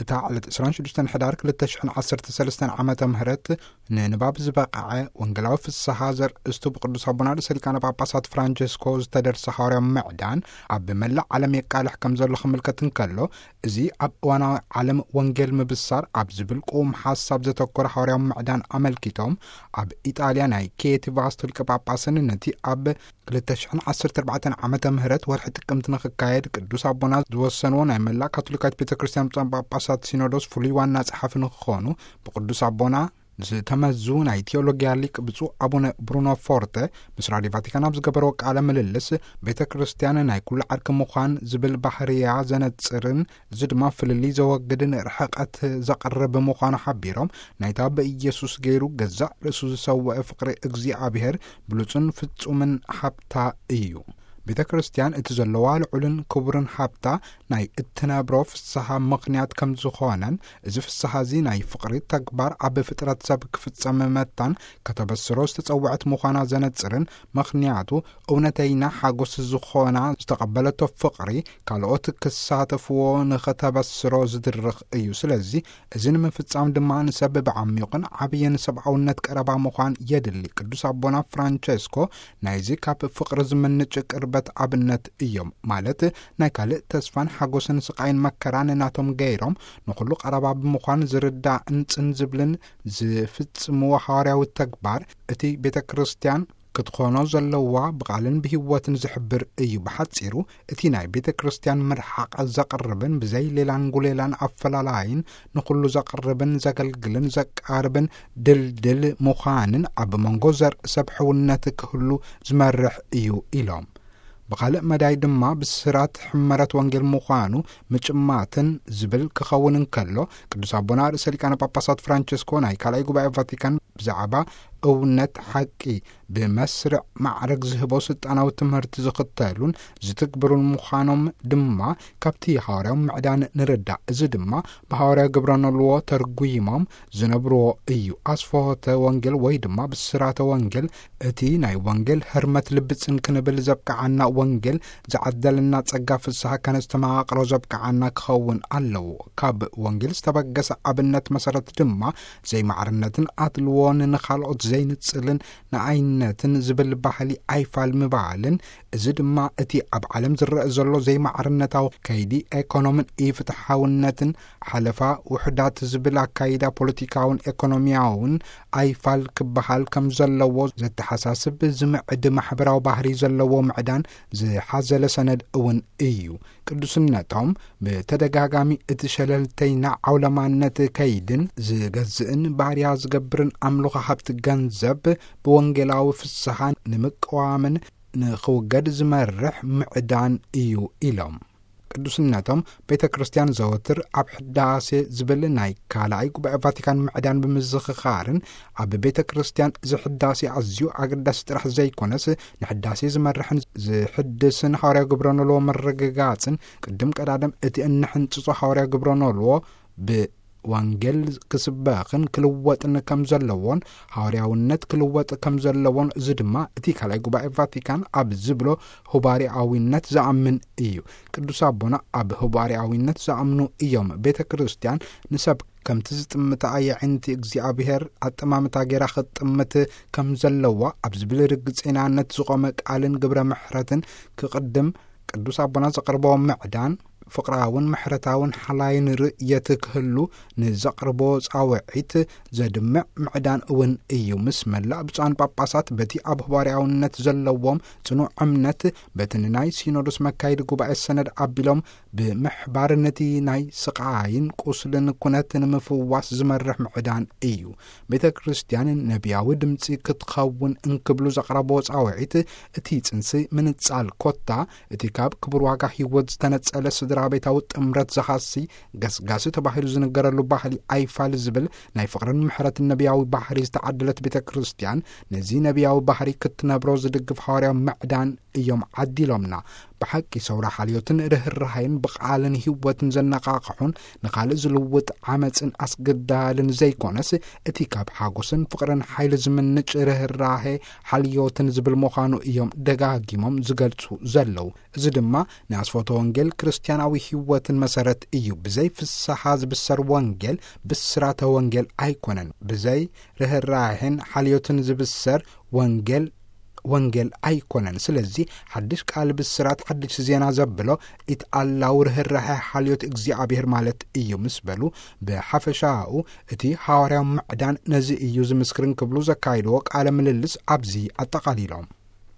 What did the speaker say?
እታ ዕለት ዕስራን ሽዱሽተን ሕዳር ክልተ ሽሕን ዓሰርተ ሰለስተን ዓመተ ምህረት ንንባብ ዝበቕዐ ወንጌላዊ ፍስሓ ዘርእስቱ ብቅዱስ ኣቦና ርእሰ ሊቃነ ጳጳሳት ፍራንቸስኮ ዝተደርሰ ሓዋርያዊ ምዕዳን ኣብ መላእ ዓለም የቃልሕ ከም ዘሎ ክምልከት እንከሎ፣ እዚ ኣብ እዋናዊ ዓለም ወንጌል ምብሳር ኣብ ዝብል ቅዉም ሓሳብ ዘተኮረ ሓዋርያዊ ምዕዳን ኣመልኪቶም፣ ኣብ ኢጣልያ ናይ ኪየቲ ቫስቶ ሊቀ ጳጳስን ነቲ ኣብ ክልተ ሽሕን ዓሰርተ ኣርባዕተን ዓመተ ምህረት ወርሒ ጥቅምቲ ንኽካየድ ቅዱስ ኣቦና ዝወሰንዎ ናይ መላእ ካቶሊካዊት ቤተ ክርስቲያን ብፁዓን ጳጳሳት ሲኖዶስ ፍሉይ ዋና ጸሓፊ ንክኾኑ ብቅዱስ ኣቦና ዝተመዙ ናይ ቴዎሎጊያ ሊቅ ብፁዕ ኣቡነ ብሩኖ ፎርተ ምስ ራዲዮ ቫቲካን ኣብ ዝገበርዎ ቃለ ምልልስ፣ ቤተ ክርስቲያን ናይ ኩሉ ዓርኪ ምዃን ዝብል ባህርያ ዘነጽርን፣ እዚ ድማ ፍልልይ ዘወግድን ርሕቀት ዘቕርብ ምዃኑ ሓቢሮም፣ ናይታ ብኢየሱስ ገይሩ ገዛእ ርእሱ ዝሰውአ ፍቕሪ እግዚኣብሔር ብሉጽን ፍጹምን ሃብታ እዩ። ቤተ ክርስቲያን እቲ ዘለዋ ልዑልን ክቡርን ሃብታ ናይ እትነብሮ ፍስሓ ምኽንያት ከም ዝኾነን፣ እዚ ፍስሓ እዚ ናይ ፍቕሪ ተግባር ኣብ ፍጥረት ሰብ ክፍጸም መታን ከተበስሮ ዝተጸውዐት ምዃና ዘነጽርን፣ ምኽንያቱ እውነተይና ሓጎስ ዝኾና ዝተቐበለቶ ፍቕሪ ካልኦት ክሳተፍዎ ንኸተበስሮ ዝድርኽ እዩ። ስለዚ እዚ ንምፍጻም ድማ ንሰብ ብዓሚቑን ዓብይን ሰብኣውነት ቀረባ ምዃን የድሊ። ቅዱስ ኣቦና ፍራንቸስኮ ናይዚ ካብ ፍቕሪ ዝምንጭ ቅርበት ኣብነት እዮም። ማለት ናይ ካልእ ተስፋን ሓጎስን ስቓይን መከራን ናቶም ገይሮም ንኹሉ ቀረባ ብምዃን ዝርዳእን ጽን ዝብልን ዝፍጽምዎ ሓዋርያዊ ተግባር እቲ ቤተ ክርስቲያን ክትኾኖ ዘለዋ ብቓልን ብህይወትን ዝሕብር እዩ። ብሓጺሩ እቲ ናይ ቤተ ክርስቲያን ምርሓቕ ዘቕርብን ብዘይ ሌላን ጉሌላን ኣፈላላይን ንኹሉ ዘቕርብን ዘገልግልን ዘቃርብን ድልድል ምዃንን ኣብ መንጎ ዘርኢ ሰብ ሕውነት ክህሉ ዝመርሕ እዩ ኢሎም። ብኻልእ መዳይ ድማ ብስራት ሕመረት ወንጌል ምዃኑ ምጭማትን ዝብል ክኸውን እንከሎ፣ ቅዱስ ኣቦና ርእሰ ሊቃነ ጳጳሳት ፍራንቸስኮ ናይ ካልኣይ ጉባኤ ቫቲካን ብዛዕባ እውነት ሓቂ ብመስርዕ ማዕረግ ዝህቦ ስልጣናዊ ትምህርቲ ዝኽተሉን ዝትግብሩን ምዃኖም ድማ ካብቲ ሃዋርያዊ ምዕዳን ንርዳእ። እዚ ድማ ብሃዋርያዊ ግብረ ኖልዎ ተርጉይሞም ዝነብርዎ እዩ። ኣስፍሆተ ወንጌል ወይ ድማ ብስራተ ወንጌል እቲ ናይ ወንጌል ህርመት ልቢ ጽን ክንብል ዘብቅዓና፣ ወንጌል ዝዓደለና ጸጋ ፍስሓ ከነስተማቕሮ ዘብቅዓና ክኸውን ኣለዎ። ካብ ወንጌል ዝተበገሰ ኣብነት መሰረት ድማ ዘይማዕርነትን ኣድልዎን፣ ንኻልኦት ዘይንጽልን ንኣይነትን ዝብል ባህሊ ኣይፋል ምባልን፣ እዚ ድማ እቲ ኣብ ዓለም ዝረአ ዘሎ ዘይማዕርነታዊ ከይዲ ኤኮኖምን ኢፍትሓውነትን፣ ሓለፋ ውሑዳት ዝብል ኣካይዳ ፖለቲካውን ኤኮኖሚያውን ኣይፋል ክበሃል ከም ዘለዎ ዘተሓሳስብ ዝምዕድ ማሕበራዊ ባህሪ ዘለዎ ምዕዳን ዝሓዘለ ሰነድ እውን እዩ። ቅዱስነቶም ብተደጋጋሚ እቲ ሸለልተይና ዓውለማነት ከይድን ዝገዝእን ባርያ ዝገብርን ኣምልኾ ሃብቲ ገንዘብ ብወንጌላዊ ፍስሓ ንምቅዋምን ንኽውገድ ዝመርሕ ምዕዳን እዩ ኢሎም። ቅዱስነቶም ቤተ ክርስቲያን ዘወትር ኣብ ሕዳሴ ዝብል ናይ ካልኣይ ጉባኤ ቫቲካን ምዕዳን ብምዝኽኻርን፣ ኣብ ቤተ ክርስቲያን እዚ ሕዳሴ ኣዝዩ ኣገዳሲ ጥራሕ ዘይኮነስ፣ ንሕዳሴ ዝመርሕን ዝሕድስን ሃዋርያዊ ግብረ ኖልዎ ምርግጋጽን፣ ቅድም ቀዳድም እቲ እንሕንጽጾ ሃዋርያዊ ግብረ ኖልዎ ብወንጌል ክስበኽን ክልወጥን ከም ዘለዎን፣ ሃዋርያውነት ክልወጥ ከም ዘለዎን፣ እዚ ድማ እቲ ካልኣይ ጉባኤ ቫቲካን ኣብ ዝብሎ ህባሪኣዊነት ዝኣምን እዩ። ቅዱስ ኣቦና ኣብ ህባሪኣዊነት ዝኣምኑ እዮም። ቤተ ክርስቲያን ንሰብ ከምቲ ዝጥምታ ኣየዒንቲ እግዚኣብሔር ኣጠማምታ ጌራ ክትጥምት ከም ዘለዋ ኣብ ዝብል ርግጽናነት ዝቖመ ቃልን ግብረ ምሕረትን ክቕድም፣ ቅዱስ ኣቦና ዘቕርቦ ምዕዳን ፍቕራውን ምሕረታውን ሓላይን ርእየት ክህሉ ንዘቕርቦ ጻውዒት ዘድምዕ ምዕዳን እውን እዩ። ምስ መላእ ብፁዓን ጳጳሳት በቲ ኣብ ህባሪያውነት ዘለዎም ጽኑዕ እምነት፣ በቲ ንናይ ሲኖዶስ መካይዲ ጉባኤ ሰነድ ኣቢሎም ብምሕባር ነቲ ናይ ስቓይን ቁስልን ኩነት ንምፍዋስ ዝመርሕ ምዕዳን እዩ። ቤተ ክርስቲያን ነቢያዊ ድምጺ ክትኸውን እንክብሉ ዘቕረቦ ጻውዒት፣ እቲ ጽንሲ ምንጻል ኮታ እቲ ካብ ክቡር ዋጋ ህይወት ዝተነጸለ ስድራ ቤታዊ ጥምረት ዝሃሲ ገስጋሲ ተባሂሉ ዝንገረሉ ባህሊ ኣይፋል ዝብል ናይ ፍቕርን ምሕረትን ነቢያዊ ባህሪ ዝተዓደለት ቤተ ክርስቲያን፣ ነዚ ነቢያዊ ባህሪ ክትነብሮ ዝድግፍ ሃዋርያዊ ምዕዳን እዮም ዓዲሎምና። ብሓቂ ሰውራ ሓልዮትን ርህራሃይን ብቓልን ህይወትን ዘነቓቕሑን ንኻልእ ዝልውጥ ዓመፅን ኣስገዳልን ዘይኮነስ፣ እቲ ካብ ሓጎስን ፍቕርን ሓይሊ ዝምንጭ ርህራሄ ሓልዮትን ዝብል ምዃኑ እዮም ደጋጊሞም ዝገልጹ ዘለዉ። እዚ ድማ ንኣስፎተ ወንጌል ክርስትያናዊ ህይወትን መሰረት እዩ። ብዘይ ፍስሓ ዝብሰር ወንጌል ብስራተ ወንጌል ኣይኮነን። ብዘይ ርህራሄን ሓልዮትን ዝብሰር ወንጌል ወንጌል ኣይኮነን። ስለዚ ሓድሽ ቃል ብስራት ሓድሽ ዜና ዘብሎ ኢትኣላው ርህራሄ ሓልዮት እግዚኣብሔር ማለት እዩ ምስ በሉ፣ ብሓፈሻኡ እቲ ሃዋርያዊ ምዕዳን ነዚ እዩ ዝምስክርን ክብሉ ዘካይድዎ ቃለ ምልልስ ኣብዚ ኣጠቓሊሎም።